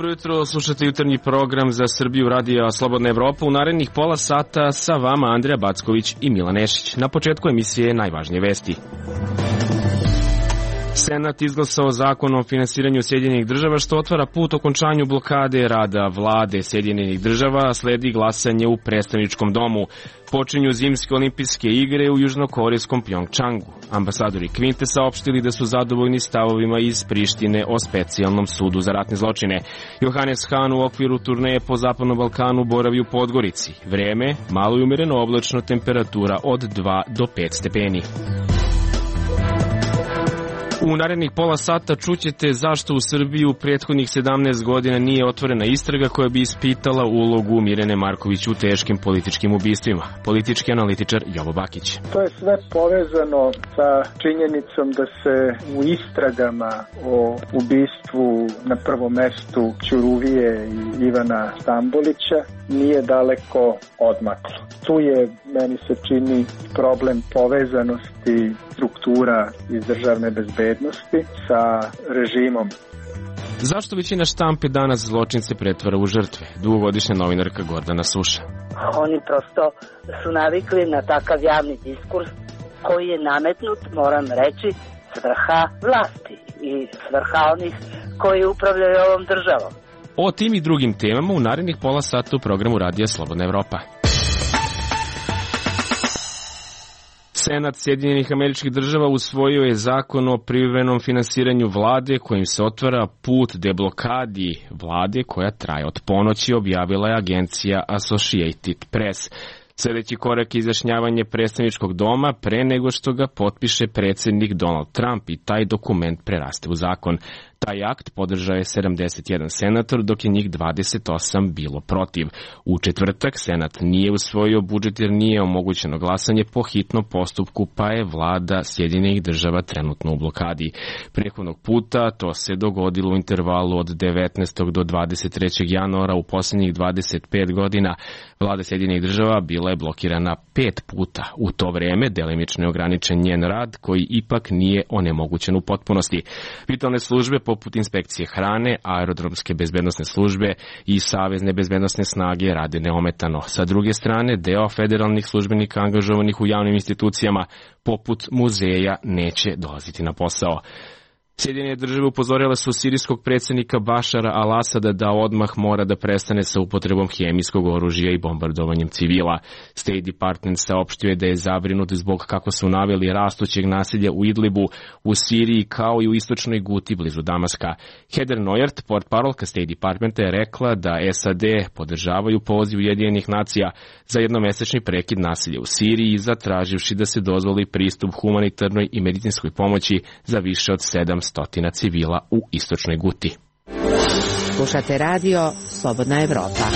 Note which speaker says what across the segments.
Speaker 1: Dobro jutro, slušate jutarnji program za Srbiju radija Slobodna Evropa. U narednih pola sata sa vama Andreja Backović i Milan Nešić. Na početku emisije najvažnije vesti. Senat izglasao zakon o finansiranju Sjedinjenih država što otvara put okončanju blokade rada vlade Sjedinjenih država, a sledi glasanje u predstavničkom domu. Počinju zimske olimpijske igre u južnokorejskom Pjongčangu. Ambasadori Kvinte saopštili da su zadovoljni stavovima iz Prištine o specijalnom sudu za ratne zločine. Johannes Hahn u okviru turneje po Zapadnom Balkanu boravi u Podgorici. Vreme, malo i umereno oblačno, temperatura od 2 do 5 stepeni. U narednih pola sata čućete zašto u Srbiji u prethodnih 17 godina nije otvorena istraga koja bi ispitala ulogu Mirjane Marković u teškim političkim ubistvima. Politički analitičar Jovo Bakić.
Speaker 2: To je sve povezano sa činjenicom da se u istragama o ubistvu na prvom mestu Ćuruvije i Ivana Stambolića nije daleko odmaklo. Tu je, meni se čini, problem povezanosti struktura iz državne bezbednosti sa režimom.
Speaker 1: Zašto većina štampe danas zločince pretvara u žrtve? Dugogodišnja novinarka Gordana Suša.
Speaker 3: Oni prosto su navikli na takav javni diskurs koji je nametnut, moram reći, s vrha vlasti i s vrha onih koji upravljaju ovom državom.
Speaker 1: O tim i drugim temama u narednih pola sata u programu Radija Slobodna Evropa. Senat Sjedinjenih Američkih Država usvojio je zakon o privremenom finansiranju vlade kojim se otvara put deblokadi vlade koja traje od ponoći, objavila je agencija Associated Press. Sljedeći korak je izjašnjavanje predstavničkog doma pre nego što ga potpiše predsjednik Donald Trump i taj dokument preraste u zakon. Taj akt podržao je 71 senator, dok je njih 28 bilo protiv. U četvrtak Senat nije usvojio budžet jer nije omogućeno glasanje po hitnom postupku, pa je vlada Sjedinjenih država trenutno u blokadi. Prethodnog puta to se dogodilo u intervalu od 19. do 23. januara u posljednjih 25 godina. Vlada Sjedinjenih država bila je blokirana 5 puta. U to vreme delimično je ograničen njen rad, koji ipak nije onemogućen u potpunosti. Vitalne službe poput inspekcije hrane, aerodromske bezbednosne službe i savezne bezbednosne snage rade neometano. Sa druge strane, deo federalnih službenika angažovanih u javnim institucijama poput muzeja neće dolaziti na posao. Sjedinjene države upozorile su sirijskog predsjednika Bašara al-Asada da odmah mora da prestane sa upotrebom hemijskog oružja i bombardovanjem civila. State Department saopštio je da je zabrinut zbog, kako su naveli, rastućeg nasilja u Idlibu, u Siriji kao i u istočnoj Guti blizu Damaska. Heather Nauert, portparolka State Departmenta, je rekla da SAD podržavaju poziv Ujedinjenih nacija za jednomesečni prekid nasilja u Siriji, zatraživši da se dozvoli pristup humanitarnoj i medicinskoj pomoći za više od 700 civila u istočnoj Guti.
Speaker 4: Slušate radio Slobodna Evropa.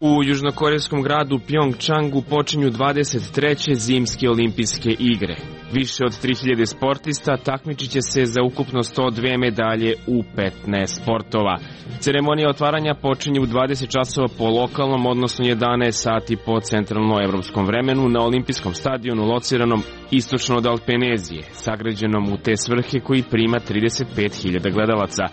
Speaker 1: U južnokorejskom gradu Pjongčangu počinju 23. zimske olimpijske igre. Više od 3000 sportista takmičit će se za ukupno 102 medalje u 15 sportova. Ceremonija otvaranja počinje u 20 časova po lokalnom, odnosno 11 sati po centralnoevropskom vremenu na olimpijskom stadionu lociranom istočno od Alpenezije, sagrađenom u te svrhe koji prima 35.000 gledalaca.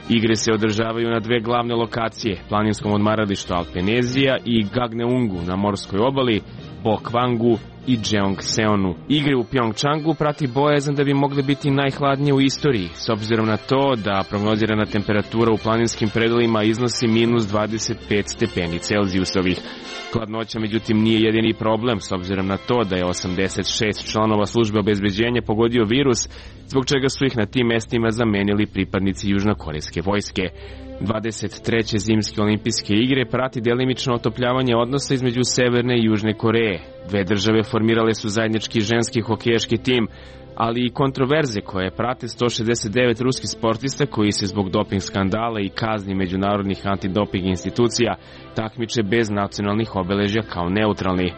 Speaker 1: Igre se održavaju na dve glavne lokacije, planinskom odmaralištu Alpenezija i Gagneungu na morskoj obali, Bokvangu i Jeongseonu. Igre u Pjongčangu prati bojazan da bi mogle biti najhladnije u istoriji, s obzirom na to da prognozirana temperatura u planinskim predelima iznosi minus 25 stepeni Celzijusovih. Hladnoća, međutim, nije jedini problem, s obzirom na to da je 86 članova službe obezbeđenja pogodio virus, zbog čega su ih na tim mestima zamenili pripadnici južnokorejske vojske. 23. zimske olimpijske igre prati delimično otopljavanje odnosa između Severne i Južne Koreje. Dve države formirale su zajednički ženski hokejaški tim, ali i kontroverze koje prate 169 ruskih sportista koji se zbog doping skandala i kazni međunarodnih antidoping institucija takmiče bez nacionalnih obeležja kao neutralni.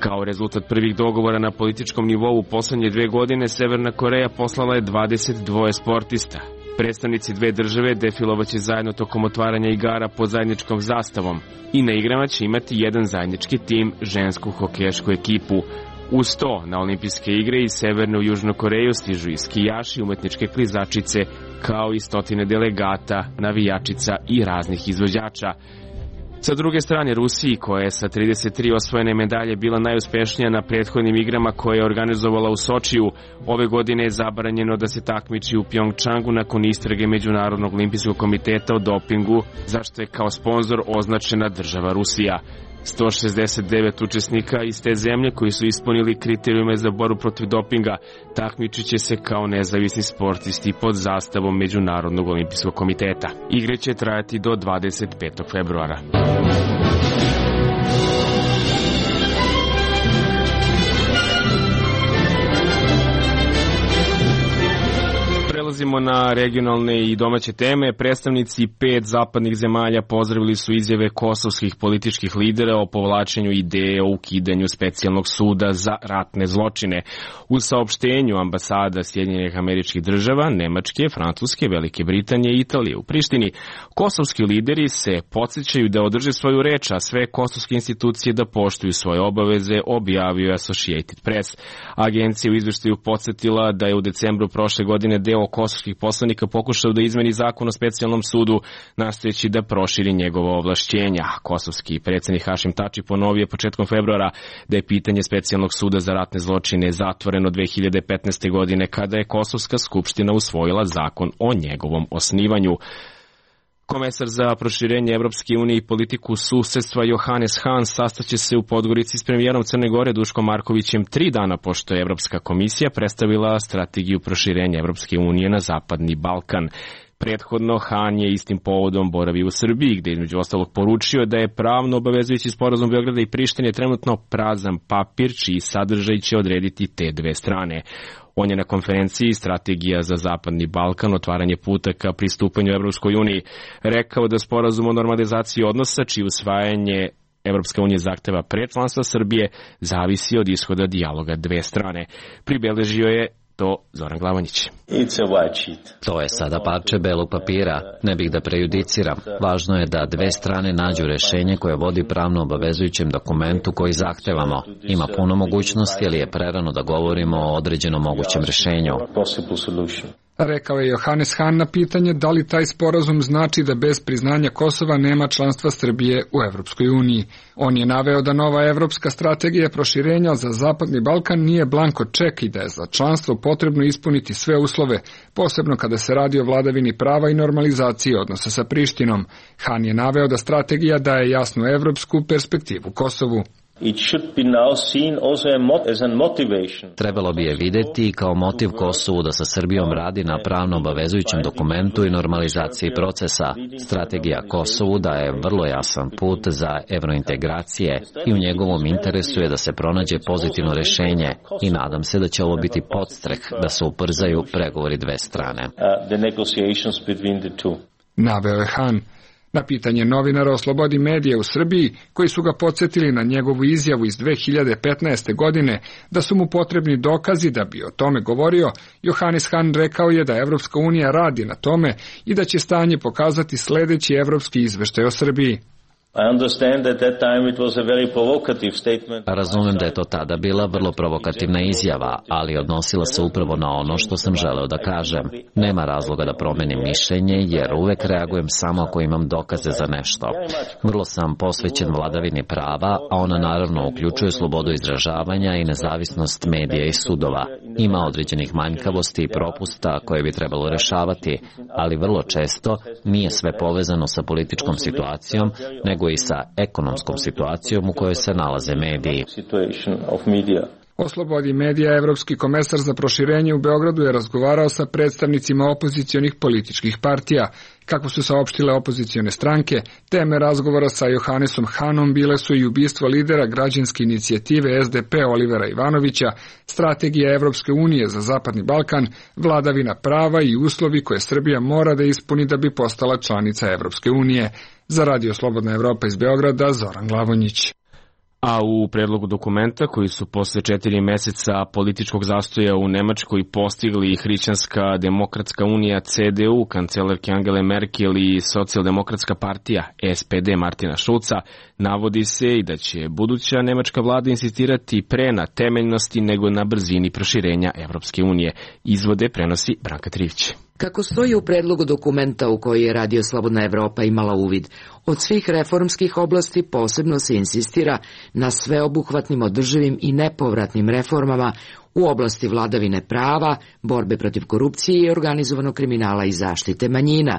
Speaker 1: Kao rezultat prvih dogovora na političkom nivou u poslednje 2 godine, Severna Koreja poslala je 22 sportista. Predstavnici dve države defilovaće zajedno tokom otvaranja igara pod zajedničkom zastavom i na igrama će imati jedan zajednički tim, žensku hokejašku ekipu. Uz to, na olimpijske igre iz Severne u Južnu Koreju stižu i skijaši, umetničke klizačice, kao i stotine delegata, navijačica i raznih izvođača. Sa druge strane, Rusiji, koja je sa 33 osvojene medalje bila najuspešnija na prethodnim igrama koje je organizovala u Sočiju, ove godine je zabranjeno da se takmiči u Pjongčangu nakon istrage Međunarodnog olimpijskog komiteta o dopingu, zašto je kao sponzor označena država Rusija. 169 učesnika iz te zemlje koji su ispunili kriterijume za borbu protiv dopinga takmičit će se kao nezavisni sportisti pod zastavom Međunarodnog olimpijskog komiteta. Igre će trajati do 25. februara. Prelazimo na regionalne i domaće teme. Predstavnici 5 zapadnih zemalja pozdravili su izjave kosovskih političkih lidera o povlačenju ideje o ukidanju specijalnog suda za ratne zločine. U saopštenju ambasada Sjedinjenih Američkih Država, Nemačke, Francuske, Velike Britanije i Italije u Prištini, kosovski lideri se podsjećaju da održe svoju reč, a sve kosovske institucije da poštuju svoje obaveze, objavio Associated Press. Agencija u izveštaju podsjetila da je u decembru prošle godine deo kosovskih poslanika pokušao da izmeni zakon o specijalnom sudu, nastojeći da proširi njegova ovlašćenja. Kosovski predsjednik Hašim Tači ponovio početkom februara da je pitanje specijalnog suda za ratne zločine zatvoreno 2015. godine kada je Kosovska skupština usvojila zakon o njegovom osnivanju. Komesar za proširenje Evropske unije i politiku susedstva Johannes Hahn sastaće se u Podgorici s premijerom Crne Gore Duškom Markovićem 3 dana pošto je Evropska komisija predstavila strategiju proširenja Evropske unije na Zapadni Balkan. Prethodno, Hahn je istim povodom boravio u Srbiji, gde između ostalog poručio da je pravno obavezujući sporazum Beograda i Prištine trenutno prazan papir, čiji sadržaj će odrediti te dve strane. On je na konferenciji Strategija za Zapadni Balkan, otvaranje puta ka pristupanju Evropskoj uniji, rekao da sporazum o normalizaciji odnosa, čije usvajanje Evropska unija zahteva pre članstva Srbije, zavisi od ishoda dijaloga dve strane. Pribeležio je to Zoran Glavonjić.
Speaker 5: To je sada parče belog papira. Ne bih da prejudiciram. Važno je da dve strane nađu rešenje koje vodi pravno obavezujućem dokumentu koji zahtevamo. Ima puno mogućnosti, ali je prerano da govorimo o određenom mogućem rešenju.
Speaker 6: Rekao je Johannes Hahn na pitanje da li taj sporazum znači da bez priznanja Kosova nema članstva Srbije u Evropskoj uniji. On je naveo da nova evropska strategija proširenja za Zapadni Balkan nije blanko ček i da je za članstvo potrebno ispuniti sve uslove, posebno kada se radi o vladavini prava i normalizaciji odnosa sa Prištinom. Hahn je naveo da strategija daje jasnu evropsku perspektivu Kosovu.
Speaker 5: Trebalo bi je videti kao motiv Kosovu da sa Srbijom radi na pravno obavezujućem dokumentu i normalizaciji procesa. Strategija Kosovu daje vrlo jasan put za evrointegracije i u njegovom interesu je da se pronađe pozitivno rešenje i nadam se da će ovo biti podstrek da se ubrzaju pregovori dve strane.
Speaker 6: Naveo je Hahn. Na pitanje novinara o slobodi medija u Srbiji, koji su ga podsjetili na njegovu izjavu iz 2015. godine da su mu potrebni dokazi da bi o tome govorio, Johannes Hahn rekao je da Evropska unija radi na tome i da će stanje pokazati sledeći evropski izveštaj o Srbiji.
Speaker 5: Razumem da je to tada bila vrlo provokativna izjava, ali odnosila se upravo na ono što sam želeo da kažem. Nema razloga da promenim mišljenje, jer uvek reagujem samo ako imam dokaze za nešto. Vrlo sam posvećen vladavini prava, a ona naravno uključuje slobodu izražavanja i nezavisnost medija i sudova. Ima određenih manjkavosti i propusta koje bi trebalo rešavati, ali vrlo često nije sve povezano sa političkom situacijom, nego i sa ekonomskom situacijom u kojoj se nalaze mediji.
Speaker 6: O slobodi medija Evropski komesar za proširenje u Beogradu je razgovarao sa predstavnicima opozicionih političkih partija. Kako su saopštile opozicione stranke, teme razgovora sa Johannesom Hahnom bile su i ubistvo lidera građanske inicijative SDP Olivera Ivanovića, strategija Evropske unije za Zapadni Balkan, vladavina prava i uslovi koje Srbija mora da ispuni da bi postala članica Evropske unije. Za Radio Slobodna Evropa iz Beograda, Zoran Glavonjić.
Speaker 1: A u predlogu dokumenta koji su posle 4 meseca političkog zastoja u Nemačkoj postigli Hrišćanska demokratska unija CDU, kancelarke Angele Merkel i socijaldemokratska partija SPD Martina Schulza, navodi se i da će buduća nemačka vlada insistirati pre na temeljnosti nego na brzini proširenja Evropske unije. Izvode prenosi Branka Trivić.
Speaker 7: Kako stoji u predlogu dokumenta u koji je Radio Slobodna Evropa imala uvid, od svih reformskih oblasti posebno se insistira na sveobuhvatnim, održivim i nepovratnim reformama u oblasti vladavine prava, borbe protiv korupcije i organizovanog kriminala i zaštite manjina.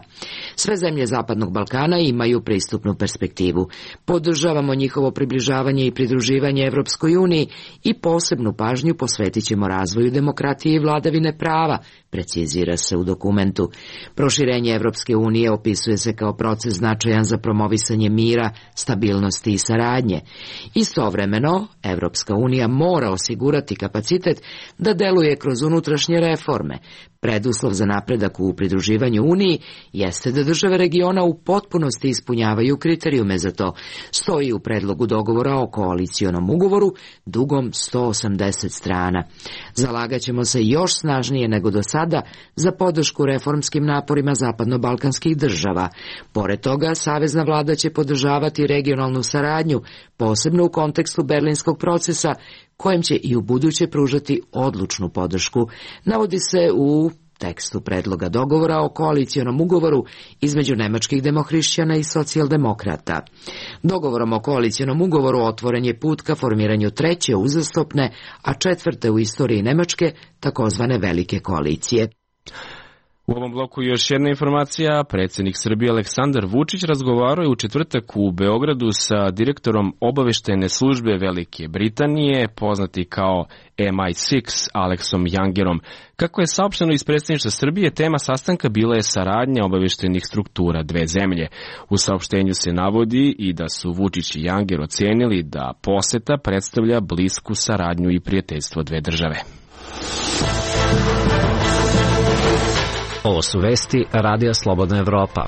Speaker 7: Sve zemlje Zapadnog Balkana imaju pristupnu perspektivu. Podržavamo njihovo približavanje i pridruživanje Evropskoj uniji i posebnu pažnju posvetit ćemo razvoju demokratije i vladavine prava, precizira se u dokumentu. Proširenje Evropske unije opisuje se kao proces značajan za promovisanje mira, stabilnosti i saradnje. Istovremeno, Evropska unija mora osigurati kapacitet da deluje kroz unutrašnje reforme. Preduslov za napredak u pridruživanju Uniji jeste da države regiona u potpunosti ispunjavaju kriterijume za to, stoji u predlogu dogovora o koalicionom ugovoru dugom 180 strana. Zalagaćemo se još snažnije nego do sada za podršku reformskim naporima zapadno-balkanskih država. Pored toga, savezna vlada će podržavati regionalnu saradnju, posebno u kontekstu berlinskog procesa, kojem će i u buduće pružati odlučnu podršku, navodi se u tekstu predloga dogovora o koalicionom ugovoru između nemačkih demohrišćana i socijaldemokrata. Dogovorom o koalicionom ugovoru otvoren je put ka formiranju treće uzastopne, a četvrte u istoriji Nemačke, takozvane velike koalicije.
Speaker 1: U ovom bloku još jedna informacija. Predsjednik Srbije Aleksandar Vučić razgovarao je u četvrtak u Beogradu sa direktorom obaveštene službe Velike Britanije, poznati kao MI6, Aleksom Youngerom. Kako je saopšteno iz predsjedništva Srbije, tema sastanka bila je saradnja obaveštenih struktura dve zemlje. U saopštenju se navodi i da su Vučić i Younger ocenili da poseta predstavlja blisku saradnju i prijateljstvo dve države.
Speaker 5: Ovo su vesti Radija Slobodna Evropa.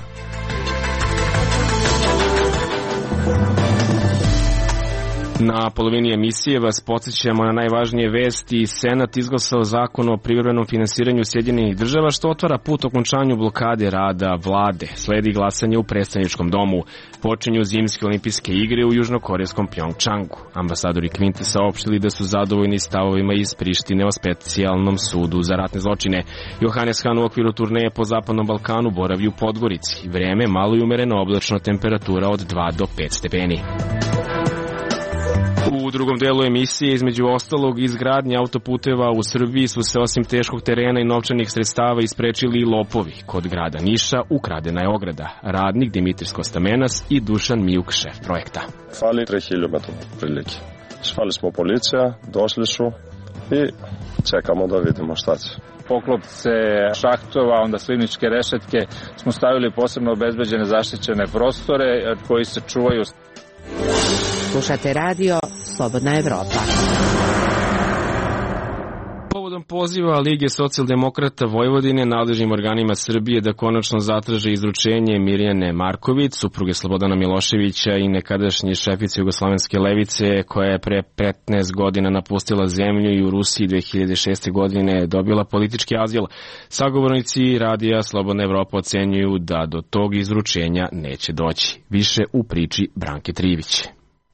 Speaker 1: Na polovini emisije vas podsjećamo na najvažnije vesti. Senat izglasao zakon o privremenom finansiranju Sjedinjenih država, što otvara put okončanju blokade rada vlade. Sledi glasanje u predstavničkom domu. Počinju zimske olimpijske igre u južnokorejskom Pjongčangu. Ambasadori Kvinte saopštili da su zadovoljni stavovima iz Prištine o specijalnom sudu za ratne zločine. Johannes Hahn u okviru turneje po Zapadnom Balkanu boravi u Podgorici. Vreme malo i umereno oblačno, temperatura od 2 do 5 stepeni. U drugom delu emisije, između ostalog, izgradnje autoputeva u Srbiji su se osim teškog terena i novčanih sredstava isprečili i lopovi. Kod grada Niša ukradena je ograda. Radnik Dimitris Kostamenas i Dušan Mijuk, šef projekta.
Speaker 8: Fali 3 km prilike. Zvali smo policija, došli su i čekamo da vidimo šta će.
Speaker 9: Poklopce šahtova, onda slivničke rešetke smo stavili posebno obezbeđene zaštićene prostore koji se čuvaju.
Speaker 4: Slušate radio Slobodna Evropa.
Speaker 1: Povodom poziva Lige socijaldemokrata Vojvodine nadležnim organima Srbije da konačno zatraže izručenje Mirjane Marković, supruge Slobodana Miloševića i nekadašnje šefice Jugoslovenske levice, koja je pre 15 godina napustila zemlju i u Rusiji 2006. godine dobila politički azil. Sagovornici Radija Slobodna Evropa ocenjuju da do tog izručenja neće doći. Više u priči Branke Trivić.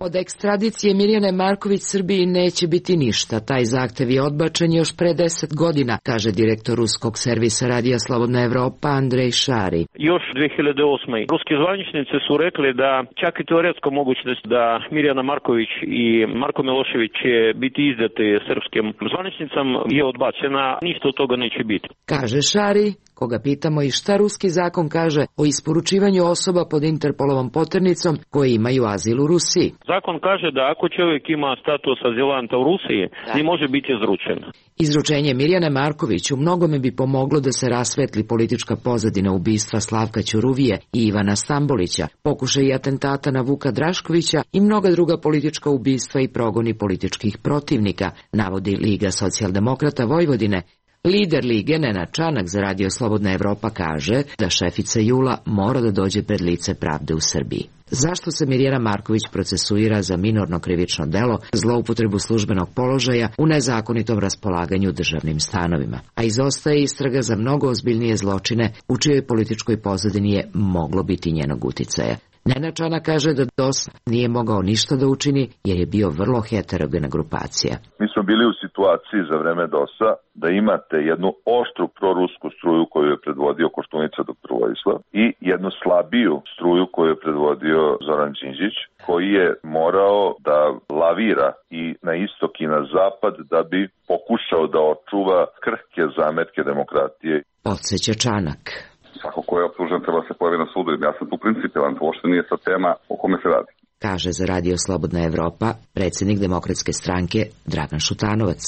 Speaker 7: Od ekstradicije Mirjane Marković Srbiji neće biti ništa. Taj zahtev je odbačen još pre 10 godina, kaže direktor ruskog servisa Radija Slobodna Evropa Andrej Šari.
Speaker 10: Još 2008. ruski zvaničnici su rekli da čak i teoretska mogućnost da Mirjana Marković i Marko Milošević će biti izdati srpskim zvaničnicama je odbačena. Ništa od toga neće biti.
Speaker 7: Kaže Šari, koga pitamo i šta ruski zakon kaže o isporučivanju osoba pod Interpolovom poternicom koji imaju azil u Rusiji.
Speaker 10: Zakon kaže da ako čovjek ima status azilanta u Rusiji, ne može biti izručen.
Speaker 7: Izručenje Mirjane Marković u mnogome bi pomoglo da se rasvetli politička pozadina ubistva Slavka Ćuruvije i Ivana Stambolića, pokušaj atentata na Vuka Draškovića i mnoga druga politička ubistva i progoni političkih protivnika, navodi Liga socijaldemokrata Vojvodine. Lider Lige Nenad Čanak za Radio Slobodna Evropa kaže da šefica JUL-a mora da dođe pred lice pravde u Srbiji. Zašto se Mirjana Marković procesuira za minorno krivično delo, zloupotrebu službenog položaja u nezakonitom raspolaganju državnim stanovima, a izostaje istraga za mnogo ozbiljnije zločine u čijoj političkoj pozadini je moglo biti njenog uticaja. Nenad Čanak kaže da DOS nije mogao ništa da učini jer je bio vrlo heterogena grupacija.
Speaker 11: Mi smo bili u situaciji za vreme DOS-a da imate jednu oštru prorusku struju koju je predvodio Koštunica dr. Vojislav i jednu slabiju struju koju je predvodio Zoran Đinđić, koji je morao da lavira i na istok i na zapad da bi pokušao da očuva krhke zametke demokratije.
Speaker 7: Podseća Čanak.
Speaker 12: Svako ko je optužen treba se pojavi na sudu. Ja sam tu principijelan, to uopšte nije sad tema o kome se radi.
Speaker 7: Kaže za Radio Slobodna Evropa predsjednik Demokratske stranke Dragan Šutanovac.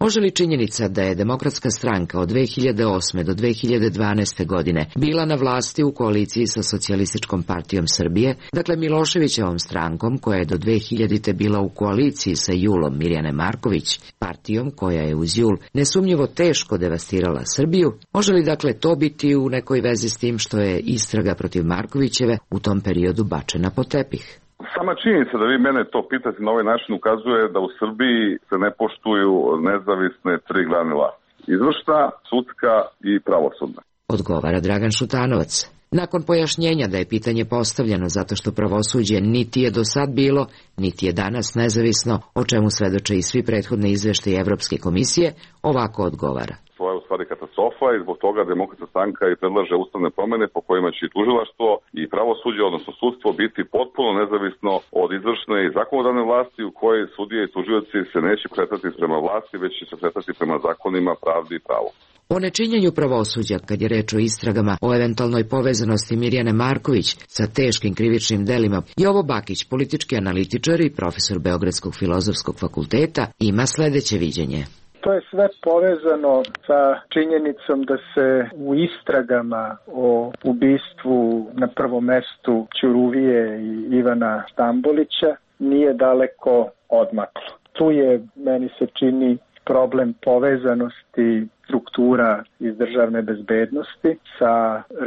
Speaker 7: Može li činjenica da je Demokratska stranka od 2008. do 2012. godine bila na vlasti u koaliciji sa Socijalističkom partijom Srbije, dakle Miloševićevom strankom koja je do 2000. bila u koaliciji sa Julom Mirjane Marković, partijom koja je uz Jul nesumnjivo teško devastirala Srbiju, može li dakle to biti u nekoj vezi s tim što je istraga protiv Markovićeve u tom periodu bačena pod tepih?
Speaker 12: Sama činjenica da vi mene to pitate na ovaj način ukazuje da u Srbiji se ne poštuju nezavisne tri grane vlasti. Izvršna, sudska i pravosudna.
Speaker 7: Odgovara Dragan Šutanovac. Nakon pojašnjenja da je pitanje postavljeno zato što pravosuđe niti je do sad bilo, niti je danas nezavisno, o čemu svedoče i svi prethodni izveštaji Evropske komisije, ovako odgovara.
Speaker 12: To je u stvari katastrofa i zbog toga Demokratska stranka i predlaže ustavne promene po kojima će i tužilaštvo i pravosuđe, odnosno sudstvo, biti potpuno nezavisno od izvršne i zakonodavne vlasti u kojoj sudije i tužioci se neće kretati prema vlasti, već će se kretati prema zakonima, pravdi i pravu.
Speaker 7: O nečinjenju pravosuđa, kad je reč o istragama o eventualnoj povezanosti Mirjane Marković sa teškim krivičnim delima, Jovo Bakić, politički analitičar i profesor Beogradskog filozofskog fakulteta, ima sledeće viđenje.
Speaker 2: To je sve povezano sa činjenicom da se u istragama o ubistvu na prvom mestu Ćuruvije i Ivana Stambolića nije daleko odmaklo. Tu je, meni se čini, problem povezanosti struktura iz državne bezbednosti sa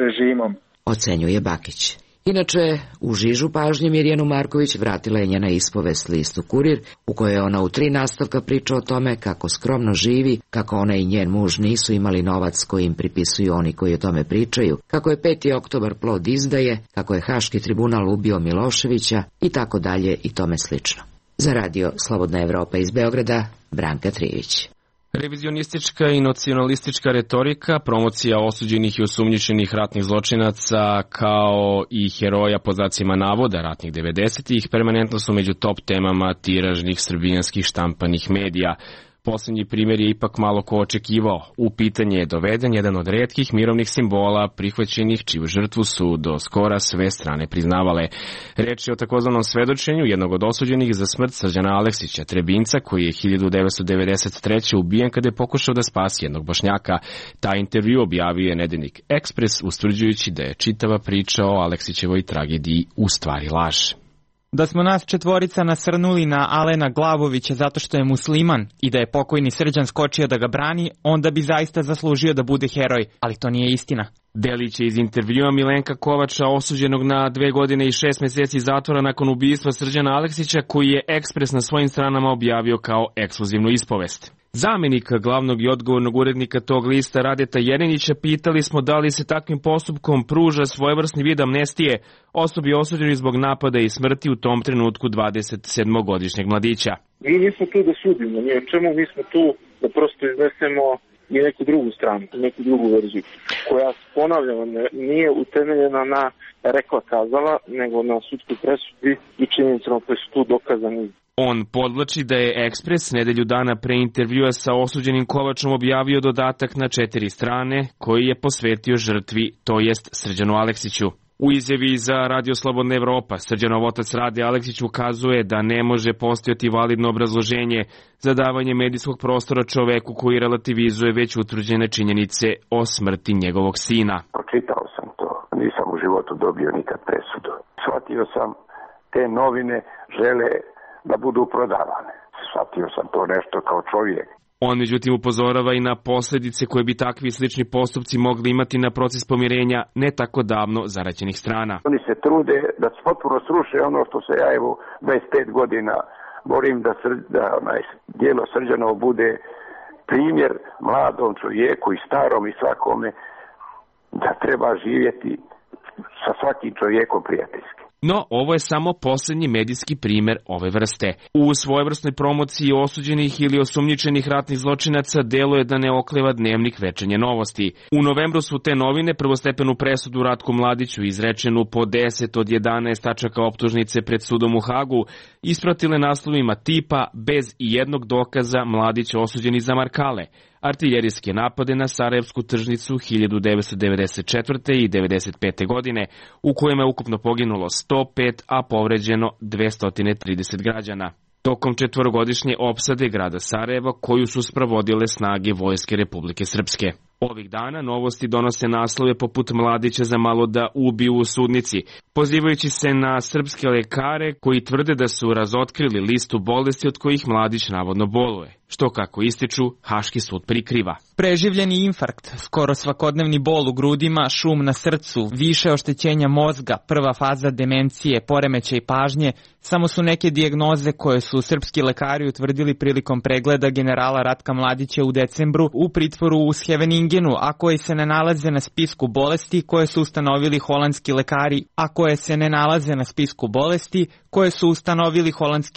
Speaker 2: režimom.
Speaker 7: Ocenjuje Bakić. Inače, u žižu pažnje Mirjanu Marković vratila je njena ispovest listu Kurir, u kojoj ona u 3 nastavka priča o tome kako skromno živi, kako ona i njen muž nisu imali novac koji im pripisuju oni koji o tome pričaju, kako je 5. oktobar plod izdaje, kako je Haški tribunal ubio Miloševića i tako dalje i tome slično. Za Radio Slobodna Evropa iz Beograda, Branka Trijević.
Speaker 1: Revizionistička i nacionalistička retorika, promocija osuđenih i osumnjičenih ratnih zločinaca kao i heroja po znacima navoda ratnih 90-ih permanentno su među top temama tiražnih srbijanskih štampanih medija. Poslednji primjer je ipak malo ko očekivao. U pitanje je doveden jedan od retkih mirovnih simbola prihvaćenih čiju žrtvu su do skora sve strane priznavale. Reč je o takozvanom svedočenju jednog od osuđenih za smrt Srđana Aleksića, Trebinca, koji je 1993. ubijen kada je pokušao da spasi jednog Bošnjaka. Taj intervju objavio je nedeljnik Ekspres, ustvrđujući da je čitava priča o Aleksićevoj tragediji u stvari laž.
Speaker 13: Da smo nas 4 nasrnuli na Alena Glavovića zato što je musliman i da je pokojni Srđan skočio da ga brani, onda bi zaista zaslužio da bude heroj, ali to nije istina.
Speaker 1: Delić je iz intervjua Milenka Kovača, osuđenog na 2 godine i 6 meseci zatvora nakon ubistva Srđana Aleksića, koji je Ekspres na svojim stranama objavio kao ekskluzivnu ispovest. Zamenika glavnog i odgovornog urednika tog lista Radeta Jerinića pitali smo da li se takvim postupkom pruža svojevrsni vid amnestije osobi osuđenoj zbog napada i smrti u tom trenutku 27-godišnjeg mladića.
Speaker 14: Mi nismo tu da sudimo, ni o čemu, mi smo tu da prosto iznesemo i neku drugu stranu, neku drugu verziju, koja, ponavljamo, nije utemeljena na rekla kazala, nego na sudskoj presudi i činjenicama koje su tu dokazani.
Speaker 1: On podvlači da je Ekspres nedelju dana pre intervjua sa osuđenim Kovačom objavio dodatak na 4 strane koji je posvetio žrtvi, to jest Srđanu Aleksiću. U izjavi za Radio Slobodna Evropa, Srđanov otac Rade Aleksić ukazuje da ne može postojati validno obrazloženje za davanje medijskog prostora čoveku koji relativizuje već utvrđene činjenice o smrti njegovog sina.
Speaker 15: Pročitao sam to, nisam u životu dobio nikad presudu. Shvatio sam, te novine žele da budu prodavane. Shvatio sam to nešto kao čovjek.
Speaker 1: On međutim upozorava i na posljedice koje bi takvi slični postupci mogli imati na proces pomirenja ne tako davno zaraćenih strana.
Speaker 15: Oni se trude da potpuno sruše ono što se ja 25 godina borim da dijelo Srđanovo bude primjer mladom čovjeku i starom i svakome da treba živjeti sa svakim čovjekom prijateljski.
Speaker 1: No, ovo je samo posljednji medijski primjer ove vrste. U svojevrsnoj promociji osuđenih ili osumnjičenih ratnih zločinaca deluje da ne okleva Dnevnik Večernje novosti. U novembru su te novine prvostepenu presudu Ratku Mladiću, izrečenu po 10 od 11 tačaka optužnice pred sudom u Hagu, ispratile naslovima tipa bez ijednog dokaza Mladić osuđeni za Markale, artiljerijske napade na Sarajevsku tržnicu 1994. i 1995. godine, u kojima je ukupno poginulo 105, a povređeno 230 građana. Tokom četvorogodišnje opsade grada Sarajeva, koju su sprovodile snage Vojske Republike Srpske. Ovih dana novosti donose naslove poput Mladića za malo da ubiju u sudnici, pozivajući se na srpske lekare koji tvrde da su razotkrili listu bolesti od kojih Mladić navodno boluje, što kako ističu Haški sud prikriva.
Speaker 13: Preživljeni infarkt, skoro svakodnevni bol u grudima, šum na srcu, više oštećenja mozga, prva faza demencije, poremećaj pažnje, samo su neke dijagnoze koje su srpski lekari utvrdili prilikom pregleda generala Ratka Mladića u decembru u pritvoru u Scheveningenu, a koji se ne nalaze na spisku bolesti koje su ustanovili holandski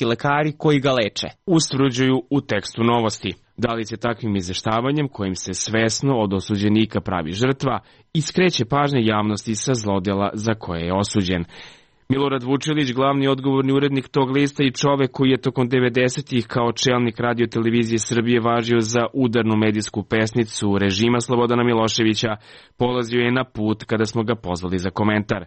Speaker 13: lekari, koji ga leče.
Speaker 1: Ustvrđuju u tekstu novosti. Da li se takvim izveštavanjem, kojim se svesno od osuđenika pravi žrtva, i skreće pažnje javnosti sa zlodjela za koje je osuđen. Milorad Vučelić, glavni odgovorni urednik tog lista i čovek koji je tokom 90-ih kao čelnik Radio televizije Srbije važio za udarnu medijsku pesnicu režima Slobodana Miloševića, polazio je na put kada smo ga pozvali za komentar.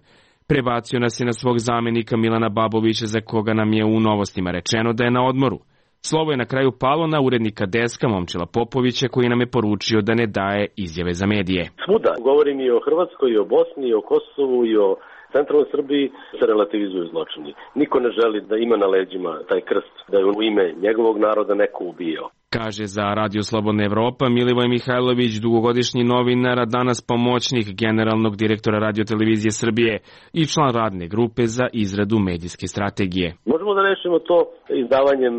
Speaker 1: Prebacio nas je na svog zamenika Milana Babovića, za koga nam je u novostima rečeno da je na odmoru. Slovo je na kraju palo na urednika Deska Momčila Popovića, koji nam je poručio da ne daje izjave za medije.
Speaker 16: Svuda, govorim i o Hrvatskoj, i o Bosni, i o Kosovu, i o centralnoj Srbiji, se relativizuju zločini. Niko ne želi da ima na leđima taj krst, da je u ime njegovog naroda neko ubio.
Speaker 1: Kaže za Radio Slobodna Evropa Milivoj Mihajlović, dugogodišnji novinar, a danas pomoćnik generalnog direktora Radio televizije Srbije i član radne grupe za izradu medijske strategije.
Speaker 16: Možemo da rešimo to izdavanjem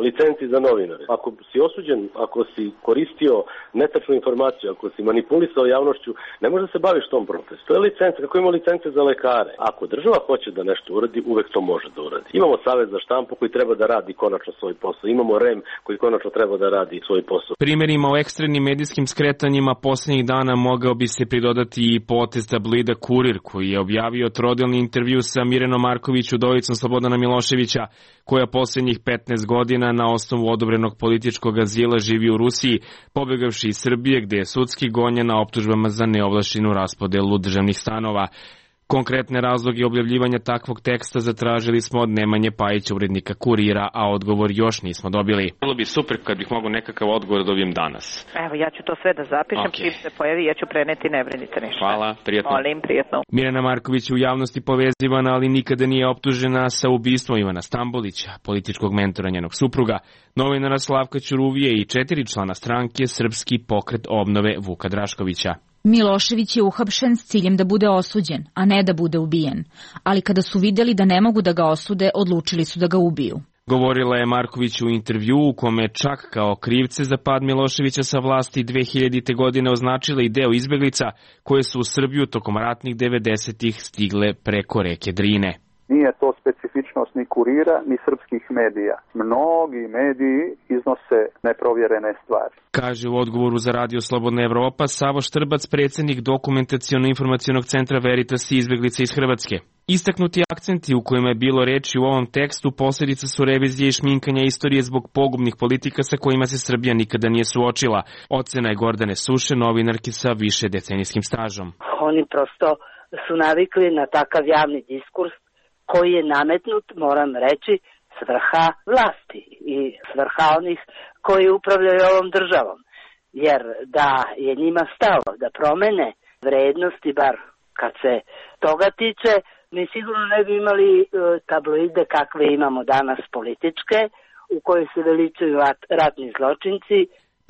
Speaker 16: licenci za novinare. Ako si osuđen, ako si koristio netačnu informaciju, ako si manipulisao javnošću, ne može da se baviš tom procesom. To je licenca, kako ima licence za lekare. Ako država hoće da nešto uradi, uvek to može da uradi. Imamo Savet za štampu koji treba da radi konačno svoj posao. Imamo REM koji konačno treba da radi svoj posao.
Speaker 1: Primjerima o ekstremnim medijskim skretanjima posljednjih dana mogao bi se pridodati i potez tabloida Kurir, koji je objavio trodelni intervju sa Mirenom Marković, udovicom Slobodana Miloševića, koja posljednjih 15 godina na osnovu odobrenog političkog azila živi u Rusiji, pobegavši iz Srbije, gde je sudski gonjena optužbama za neovlašćenu raspodelu državnih stanova. Konkretne razloge objavljivanja takvog teksta zatražili smo od Nemanje Pajića, urednika Kurira, a odgovor još nismo dobili. Bilo bi super kad bih mogao nekakav odgovor dobijem danas.
Speaker 17: Evo, ja ću to sve da zapišem, čim se pojavi, ja ću preneti, ne brinite ništa.
Speaker 1: Hvala, prijatno.
Speaker 17: Molim, prijatno.
Speaker 1: Mirjana Marković je u javnosti povezivana, ali nikada nije optužena sa ubistvom Ivana Stambolića, političkog mentora njenog supruga, novinara Slavka Ćuruvije i 4 člana stranke Srpski pokret obnove Vuka Draškovića.
Speaker 18: Milošević je uhapšen s ciljem da bude osuđen, a ne da bude ubijen. Ali kada su vidjeli da ne mogu da ga osude, odlučili su da ga ubiju.
Speaker 1: Govorila je Marković u intervju u kome čak kao krivce za pad Miloševića sa vlasti 2000. godine označila i deo izbeglica koje su u Srbiju tokom ratnih 90-ih stigle preko reke Drine.
Speaker 2: Nije to specifičnost ni Kurira, ni srpskih medija. Mnogi mediji iznose neprovjerene stvari.
Speaker 1: Kaže u odgovoru za Radio Slobodna Evropa Savo Štrbac, predsjednik Dokumentaciono-informacionog centra Veritas i izbeglica iz Hrvatske. Istaknuti akcenti u kojima je bilo reči u ovom tekstu posljedica su revizije i šminkanja istorije zbog pogubnih politika sa kojima se Srbija nikada nije suočila. Ocena je Gordane Suše, novinarki sa više decenijskim stažom.
Speaker 3: Oni prosto su navikli na takav javni diskurs koji je nametnut, moram reći, s vrha vlasti i s vrha onih koji upravljaju ovom državom. Jer da je njima stalo da promene vrednosti, bar kad se toga tiče, mi sigurno ne bi imali tabloide kakve imamo danas političke, u kojoj se veličaju ratni zločinci.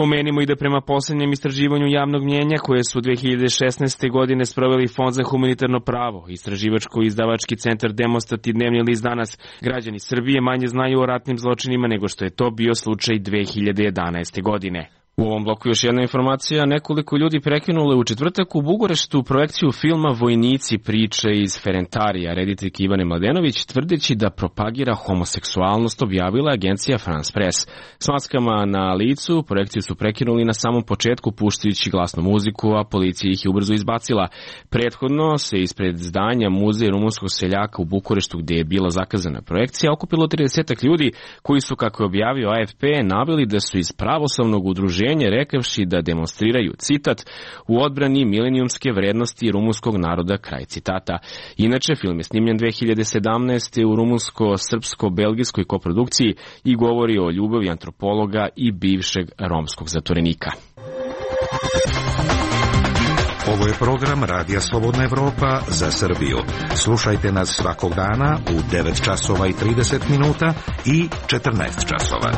Speaker 1: Pomenimo i da prema poslednjem istraživanju javnog mnjenja koje su 2016. godine sproveli Fond za humanitarno pravo, istraživačko-izdavački centar Demostat i Dnevni list Danas, građani Srbije manje znaju o ratnim zločinima nego što je to bio slučaj 2011. godine. U ovom bloku još jedna informacija, nekoliko ljudi prekinulo u četvrtak u Bukureštu projekciju filma Vojnici priče iz Ferentarija. Rediteljka Ivana Mladenović, tvrdeći da propagira homoseksualnost, objavila agencija France Press. S maskama na licu projekciju su prekinuli na samom početku puštajući glasnu muziku, a policija ih je ubrzo izbacila. Prethodno se ispred zdanja Muzeja rumunskog seljaka u Bukureštu, gde je bila zakazana projekcija, okupilo 30 ljudi koji su, kako je objavio AFP, naveli da su iz pravoslavnog udruženja rekavši da demonstriraju, citat, u odbrani milenijumske vrednosti rumunskog naroda, kraj citata. Inače, film je snimljen 2017. u rumunsko-srpsko-belgijskoj koprodukciji i govori o ljubavi antropologa i bivšeg romskog zatvorenika.
Speaker 19: Ovo je program Radija Slobodna Evropa za Srbiju. Slušajte nas svakog dana u 9 časova i 30 minuta i 14 časova.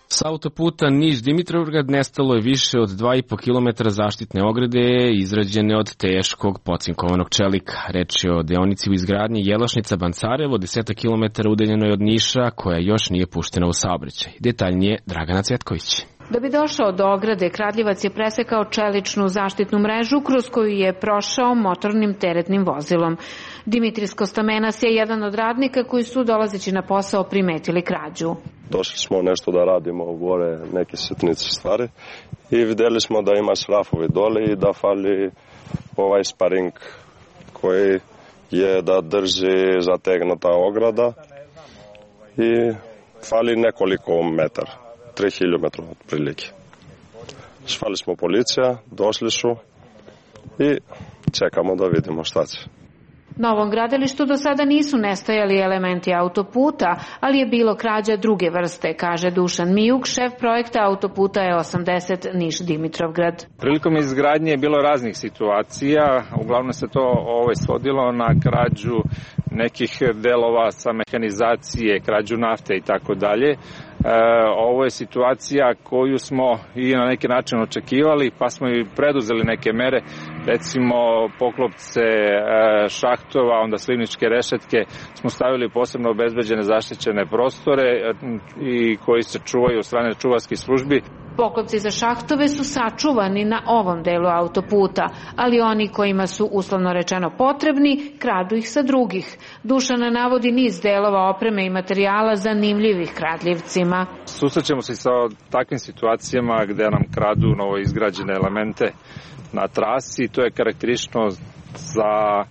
Speaker 1: S autoputa Niš-Dimitrovgrad nestalo je više od 2,5 km zaštitne ograde izrađene od teškog pocinkovanog čelika. Reč je o deonici u izgradnji Jelašnica-Bancarevo, 10 km udaljenoj od Niša, koja još nije puštena u saobraćaj. Detaljnije Dragana Cvetković.
Speaker 20: Da bi došao do ograde, kradljivac je presekao čeličnu zaštitnu mrežu kroz koju je prošao motornim teretnim vozilom. Dimitris Kostamenas je jedan od radnika koji su, dolazeći na posao, primetili krađu.
Speaker 8: Došli smo nešto da radimo gore, neke sitnice stvari i videli smo da ima šrafovi dole i da fali ovaj sparing koji je da drži zategnuta ograda i fali nekoliko metara, 3 km otprilike. Zvali smo policija, došli su i čekamo da vidimo šta će.
Speaker 20: Na ovom gradilištu do sada nisu nestajali elementi autoputa, ali je bilo krađa druge vrste, kaže Dušan Mijuk, šef projekta autoputa E80 Niš-Dimitrovgrad.
Speaker 9: Prilikom izgradnje je bilo raznih situacija, uglavnom se to svodilo na krađu nekih delova sa mehanizacije, krađu nafte i tako dalje. Ovo je situacija koju smo i na neki način očekivali, pa smo i preduzeli neke mere, recimo poklopce šahtova, onda slivničke rešetke smo stavili posebno obezbeđene zaštićene prostore i koji se čuvaju od strane čuvarskih službi.
Speaker 20: Poklopci za šahtove su sačuvani na ovom delu autoputa, ali oni kojima su uslovno rečeno potrebni, kradu ih sa drugih. Dušana navodi niz delova opreme i materijala zanimljivih kradljivcima.
Speaker 9: Susrećemo se sa takvim situacijama gde nam kradu novo izgrađene elemente na trasi. To je karakteristično za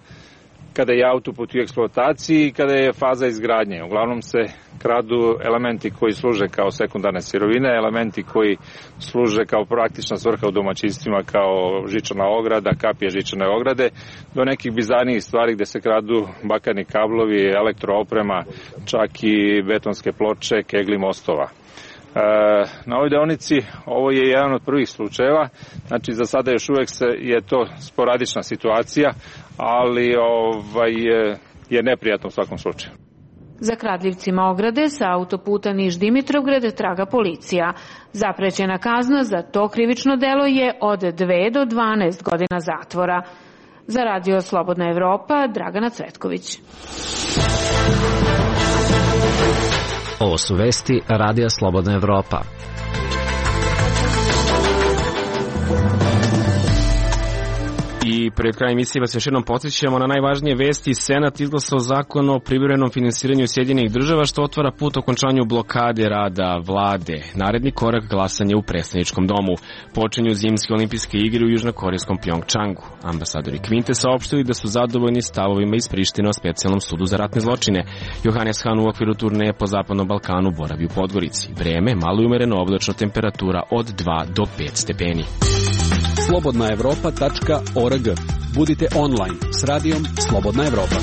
Speaker 9: kada je autoput u eksploataciji i kada je faza izgradnje. Uglavnom se kradu elementi koji služe kao sekundarne sirovine, elementi koji služe kao praktična svrha u domaćinstvima kao žičana ograda, kapije žičane ograde, do nekih bizarnijih stvari gde se kradu bakarni kablovi, elektrooprema, čak i betonske ploče, kegli mostova. Na ovoj deonici ovo je jedan od prvih slučajeva, znači za sada još uvek je to sporadična situacija, ali je neprijatno u svakom slučaju.
Speaker 20: Za kradljivcima ograde sa autoputa Niš-Dimitrovgrad traga policija. Zaprećena kazna za to krivično delo je od 2 do 12 godina zatvora. Za Radio Slobodna Evropa, Dragana Cvetković.
Speaker 5: Ovo su vesti Radija Slobodna Evropa.
Speaker 1: I pred krajem emisije vas još jednom podsjećamo na najvažnije vesti. Senat izglasao zakon o privremenom finansiranju Sjedinjenih država, što otvara put okončanju blokade rada vlade. Naredni korak glasanje u predstavničkom domu. Počinju zimske olimpijske igre u južnokorejskom Pjongčangu. Ambasadori Kvinte saopštili da su zadovoljni stavovima iz Prištine o specijalnom sudu za ratne zločine. Johannes Hahn u okviru turneje po Zapadnom Balkanu boravi u Podgorici. Vreme malo i umereno, oblačno, temperatura od 2 do 5 stepeni.
Speaker 21: slobodnaevropa.org. Budite online s radijom Slobodna Evropa.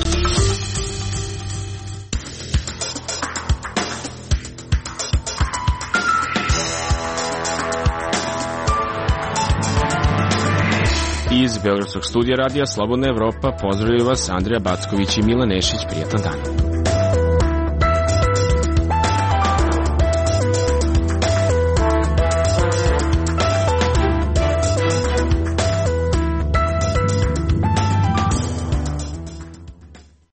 Speaker 1: Iz Beogradskog studija Radija Slobodna Evropa pozdravljaju vas Andrija Backović i Milan Nešić. Prijatan dan.